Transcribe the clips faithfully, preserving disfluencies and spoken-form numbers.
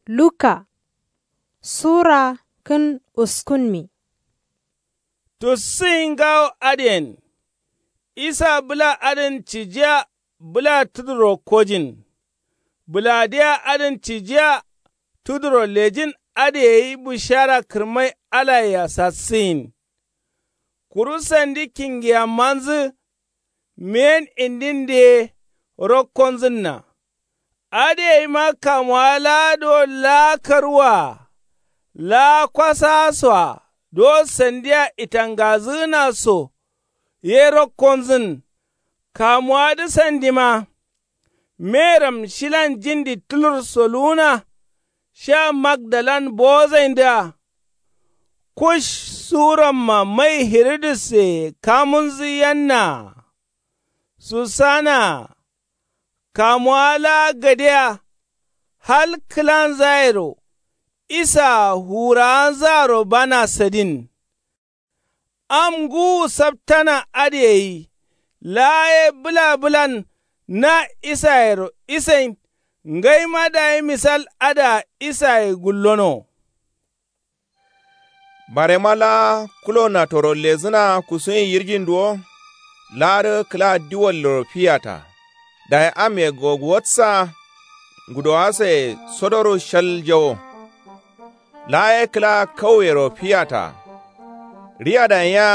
Luka sura kǝn uskunmi. Tussǝyin ngawo adǝyen isa bǝla adǝn cijiya. Bǝla tuduro kojin bǝladǝya adǝn cijiya. Tuduro lejin adǝ gai bǝshara kǝrmai alayea sassǝyin. Kuru sandi kingiyammanzǝ meyen indindǝ ye rokkonzǝnna. Adǝ gaima kamuwa laa do laa karuwaa laa kwasaa soa do sandia itangazǝgǝna so ye rokkonzǝn. Kamuwadǝ sandima meram shilan jindi tulur soluwuna sha magdalan bowozaindǝa. Kush suramma mai hiridus ye kamunzǝ yannaa. Susanaa kamuwa laa gadea. Hal kǝlanzayero isaa hurawanzaro bana sadin. Am ngǝwu saptana adǝ gai laa ye bǝla bǝlan na isayero isain. Ngaima dayi misal adǝa isaye gullono. Barema laa kulo natoro lezǝna kusuyin yirjin duwo. Laadǝ kǝla diwalliro fiyata dayi amme gogwatsa. Ngudowasoye sodoru shaljawo. Laa ye kǝla kauyero fiyata. Riyadanya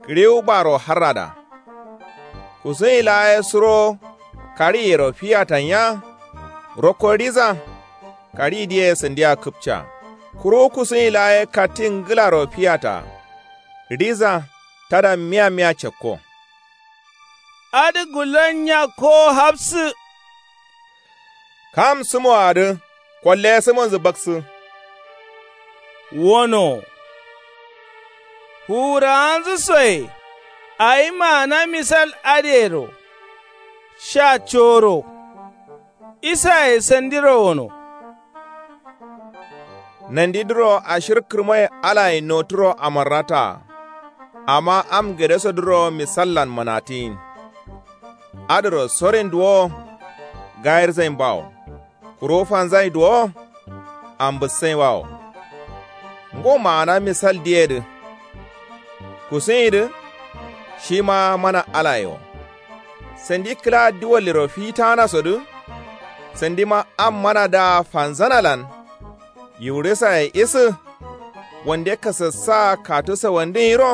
kǝriwu baro harrada. Kusuyin laa ye suro kariyero fiyatanya. Rokko riza karidǝye sandia kǝpca. Kuru kusuyin laa ye katti ngǝlaro fiyata. Riza tada miya miya cakko. Adǝ gullon nyakkowo hafsǝ. Kam sǝmoadǝ kolle sǝmonzǝ baksǝ. Wono fuwurawanzǝ soye awi maana misal adǝyero. Sha coro isaye sandiro wono. Nandidǝro ashir kǝrmai alaye noturo amarrataa. Amma am gadesodǝro misallan manatiyin. Adǝro sorin duwo gayirzain bawo. Kuru fanzain duwo ambǝssain bawo. Ngo maana misal diyedǝ. Kusuyindǝ shima mana alaye wo. Sandi kǝla diwalliro fitana sodǝ. Sandima am manadǝa fanzanalan. Yiwurisaye isǝ wande kasassa katu sawandin yiro.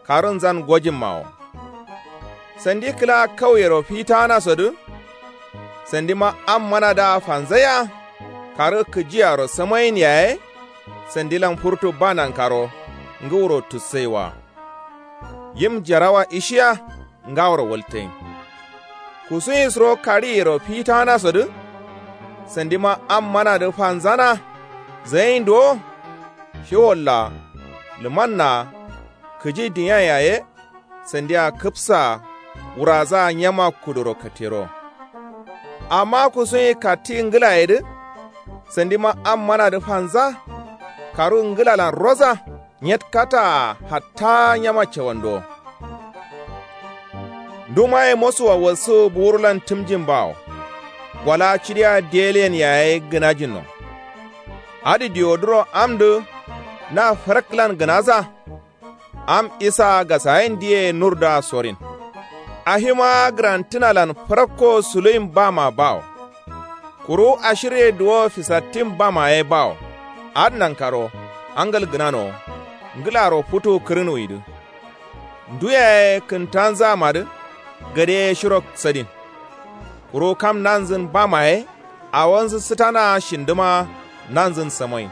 Karunzan gojimma wo. Sandi kǝla kauyero fitana sodǝ. Sandima am manadǝa fanzaiya. Karu kǝjiyaro samayin yaye. Sandilan furtu ba nankaro ngǝwuro tussaiwa. Yim jarawa ishiya ngaworo waltain. Kusuyin suro kariyero fitana sodǝ. Sandima am manadǝ fanzana zayin duwo. Shiwolla lumanna kǝji dinya yaye. Sandia kǝpsaa wurazaa nyama kuduro katero. Amma kusuyin katti ngǝlayedǝ. Sandima am manadǝ fanza. Karu ngǝlalan roza. Nyetkataa hatta nyama cawando. Ndumaye mosuwa walsu buwurulan tǝmjin bawo. Wala cidiya diyeleyen yaye gǝnajinno. Adǝ diwodǝro amdǝ na fǝraklan gǝnaza. Am isa gasayin diye nurdǝa sorin. Ahima gǝrantǝnalan fǝrakko suluyin bama bawo. Kuru ashirye duwo fisattin bama ye bawo. Adǝ nankaro angal gǝnano. Ngǝlaro futu kǝrǝnuwidǝ. Ndu yaye kǝntanzamadǝ gade ye shiro sadin. Kuru kam nanzǝn bama ye awonzǝ sǝtana shindǝma nanzǝn samoyin.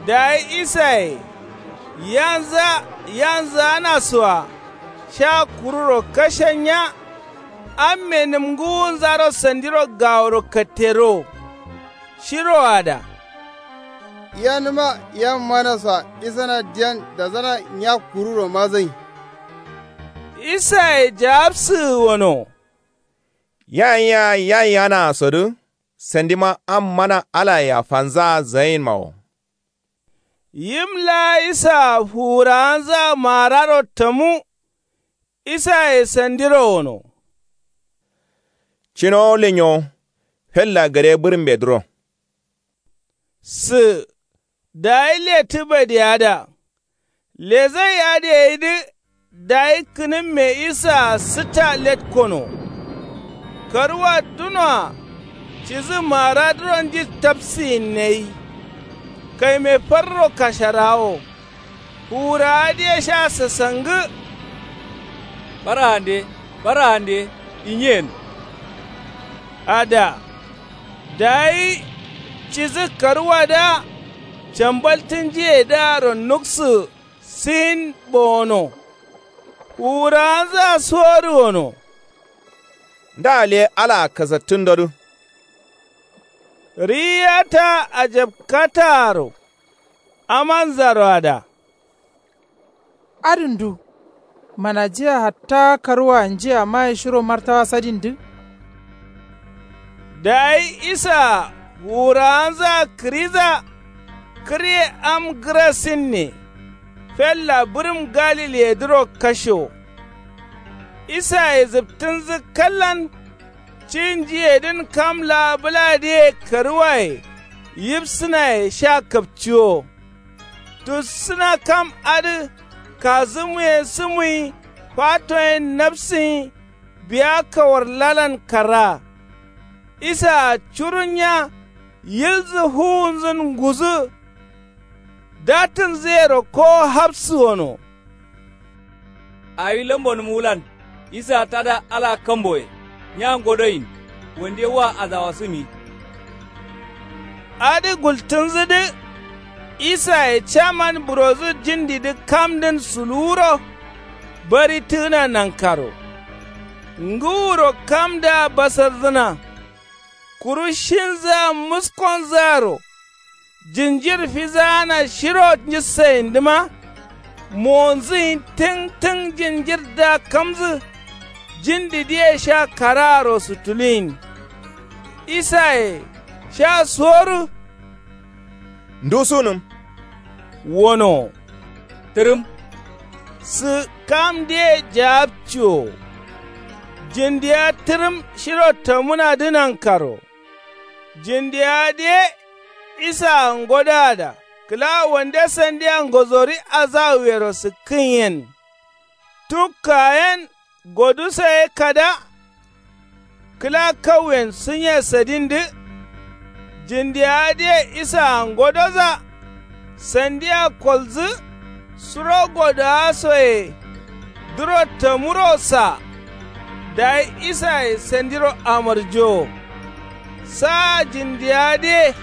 Dayi isaye yanza yanzǝ anasoa sha kururo kashanya. Amme nǝmgǝwunzaro sandiro gaworo katterowo. Shiroada yanǝma yan manasoa isana diyan dazana nya kururo mazain. Isaye jawabsǝgǝ wono. Yayia yayianaa sodǝ. Sandima am mana alayea fanzaa zayinma wo. Yim laa isaa fuwurawanzaa maararo tamu. Isaye sandiro wono. Cino lenyo Fella gade bǝrǝmbedǝro. Sǝ dayi lettǝ badiyeada. Lezai adǝ gaidǝ. Dayi kǝnǝmme isaa sǝtta letkono. Karǝwa dunoa cidǝ maradǝro nji tabsiyinnai. Kaime farro kasharawo. Fuwurawa dǝye sha sasangǝ. Bara'ande, bara'ande, inyen. Ada. Dayi cidǝ karǝwadǝa cambaltǝnjiyedǝaro nuksǝ. Sin bowono. Fuwurawanzǝa suwodu wono. Nda le alaa kasattǝndodǝ. Riyiya taa ajabkataaro. Amanzaro ada. Adǝ ndu? Manajiya hatta karǝwa njiya maye shiro martawa sadindǝ. Dayi isaa fuwurawanzǝa kǝriza. Kǝrye am gǝrasinne. Fella bǝrǝm galiledǝro kashewo. Isaye zǝptǝnzǝ kallan. Cinjiyedǝn kam laa bǝladǝye karǝwaye yifsǝnaye sha kapciwo. Tussǝna kam adǝ kazǝmuye sǝmuyi fatoyen nafsǝnyi. Biya kawarlalan kara. Isaa curunya yilzǝ fuwunzǝn nguzǝ. Datǝnzǝyero kowo hafsǝ wono. Awi lambonǝm wulan. Isaa tada alaa kamboye. Nya ngodoyin. Wande wa azawasǝmi. Adǝ gultǝnzǝdǝ. Isaye caman burozǝ jindidǝ kamdǝn suluwuro. Bari tǝgǝna nankaro. Ngǝwuro kamdǝa basarrǝna. Kuru shinzǝa muskonzǝaro. Jinjir fizaana shiro njǝssayindǝma. Monzǝyin tǝng tǝng jinjirdǝa kamzǝ. Jindidǝye sha karaaro sutuluyin. Isaye sha suwodu. Ndu sunǝm. Wono. Tǝrǝm. Sǝ kamdǝye jawabciwo. Jindiya tǝrǝm shiro tamǝnadǝ nankaro. Jindiya dǝye isaa ngodoada kǝla wande sandia ngozori azawuyero sǝkkǝnyen. Tukkayen goduso ye kada. Kǝla kauyen sǝnye sadindǝ. Jindiya dǝye isaa ngodoza. Sandia kolzǝ. Suro godowasoye duro tamuro sa. Dayi isaye sandiro amarjowo. Saa jindiya dǝye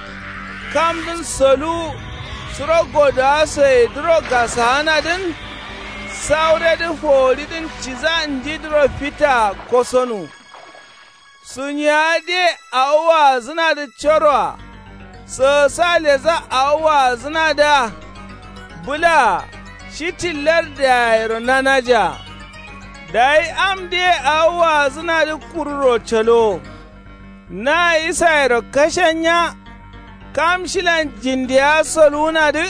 kamdǝn soluwu. Suro godowasoye duro gasaanadǝn. Sauredǝ foworidǝn ciza njidǝro fitaa kosonu. Sunyiya dǝye awo waazǝnadǝ coroa. Sǝgǝsa leza awo waazǝnadǝa. Bǝlaa shiti lardǝ yayero nanajaa. Dayi am dǝye awo waazǝnadǝ kururo calowo. Na isayero kashanya. Kam shilan jindiya soluwunadǝ.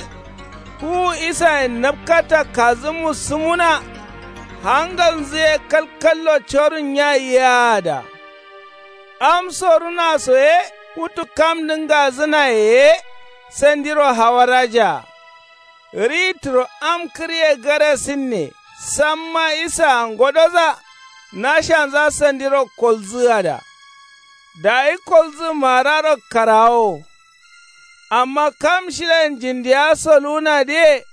Fuwu isayen napkata kazǝmu sǝmuna. Hangalnzǝ ye kalkallo corun nya yaada. Am soruna so ye futu kamdǝ ngazǝnaye ye. Sandiro hawarajaa. Ritǝro am kǝrye garasinne. Samma isaa ngodoza. Nashanza sandiro kolzǝada. Dayi kolzǝ mararo karawowo. Amma kam shilan jindiya soluwunadǝye.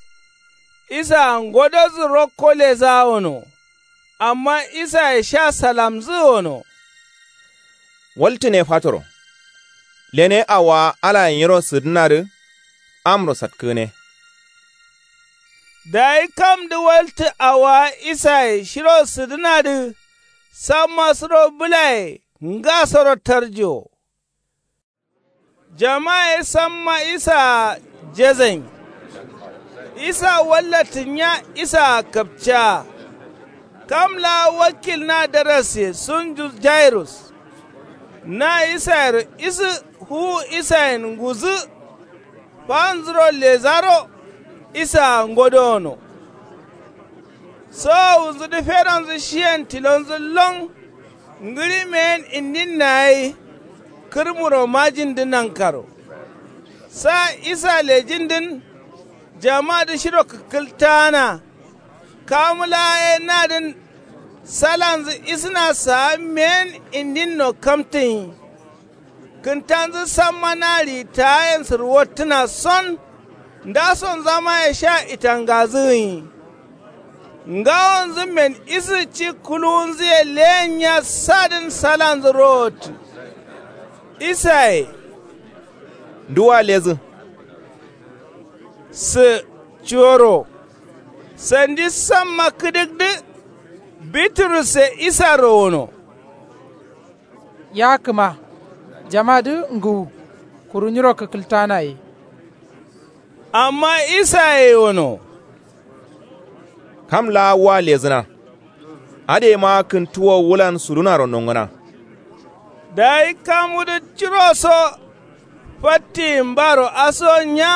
Isaa ngodozǝ rokko lezawono. Amma isaye sha salamzǝ wono. Waltǝne fatoro. Lene awowa alaye nyiro sǝdǝnadǝ. Amro satkǝgǝne. Dayi kamdǝ waltǝ awowa isaye shiro sǝdǝnadǝ. Samma suro bǝlaye ngasoro tarjowo. Jama ye samma isaa jezain. Isaa wallatǝnya isaa kapcaa. Kam laa wakkil na darasiye sunju jairus. Na isayero isǝ fuwu isayen nguzǝ. Fanzuro lezaro. Isaa ngodowono. Sowowunzudǝ fedonzǝ shiyen tilonzǝ lon. Ngǝɍimeyen indinna gai. kǝrmuro majindǝ nankaro. Sa isa lejindǝn jamadǝ shiro kǝkkǝltaana. Kamu laa ye nadǝn salanzǝ isǝna saa meyen indinno kamtǝnyi. Kǝntanzǝ samma na riyi taayen sǝrwottǝna son. Ndasonzamaye sha itangazǝgǝnyi. Ngawonzǝmmen isǝ ci kuluwunzǝye leyen nya sadǝn salanzǝ rowottǝ. Isaye nduwa lezǝ? Sǝ cuworo sandi samma kǝdǝgdǝ. Biturusse isaro wono. Ya kǝma jamadǝ ngǝwu. Kuru nyiro kǝkkǝltana ye. Amma isaye wono. Kam laa wa lezǝna. Adǝ yema kǝntuwo wulan sudunaro nongǝna. Dayi kamudǝ curoso fattiyin baro aso nya.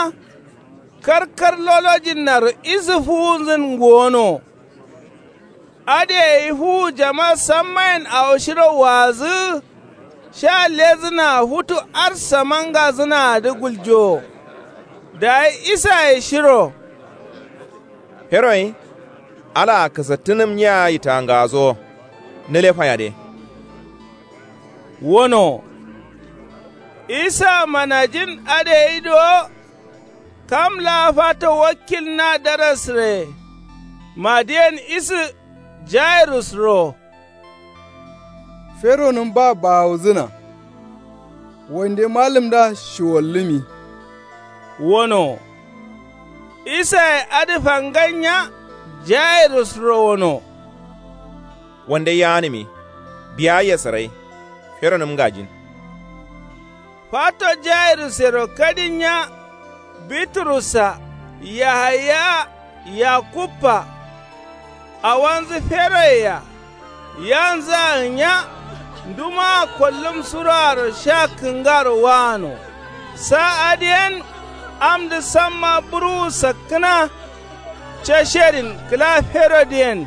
Karkar lolojinnaro isǝ fuwunzǝn ngowono. Adǝ yayi fuwu jama sammayen awo shiro waazǝ. Sha lezǝna futu arsa mangazǝnaadǝ guljowo. Dayi isaye shiro. Feroyi alaa kǝsattǝnǝm nya yitangasowo. Nǝle fayade. Wono isa manajin adǝ yayi do. Kam laa fato wakkil na darasǝre. Madǝyen isǝ jairus ro. Feronǝm ba bawuzǝna. Wande malǝmdǝa shiwollǝmi. Wono isaye adǝ fangan nya. Jairus ro wono. Wande yaanǝmi biya yesǝrai. Feronǝm ngajin. Fato jairusero kadin nya. Biturussa, yahaya, yakubba. Awanzǝ feroyea. Yanzǝa nya. Ndumaa kollum suroaro sha kǝngaro waano. Sa adǝyen amdǝ samma burwu sakkǝna. Casherin kǝla ferodǝyen.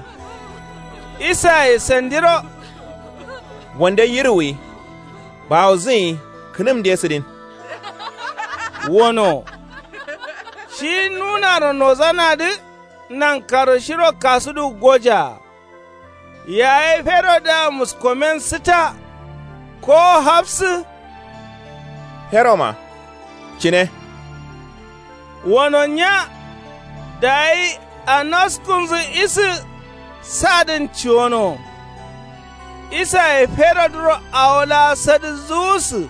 Isaye sandiro. Wande yirwuwi. Bawuzǝnyi kǝnǝmde sǝdin. Wono shi nunaro nozanadǝ. Nankaro shiro kasudu gojaa. Yaye ferodǝa muskomen sǝta. Kowo hafsǝ. Feroma cǝne. Wono nya. Dayi anaskunzǝ isǝ. Sadǝn ciwono. Isaye ferodǝro awo laa sadǝ zuwusǝ.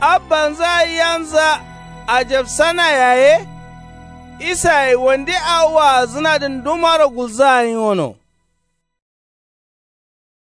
Abbanzǝa yanzǝa. Ajabsana yaye. Isaye wande awo waazǝnadǝn ndumaro gulzǝa nyi wono.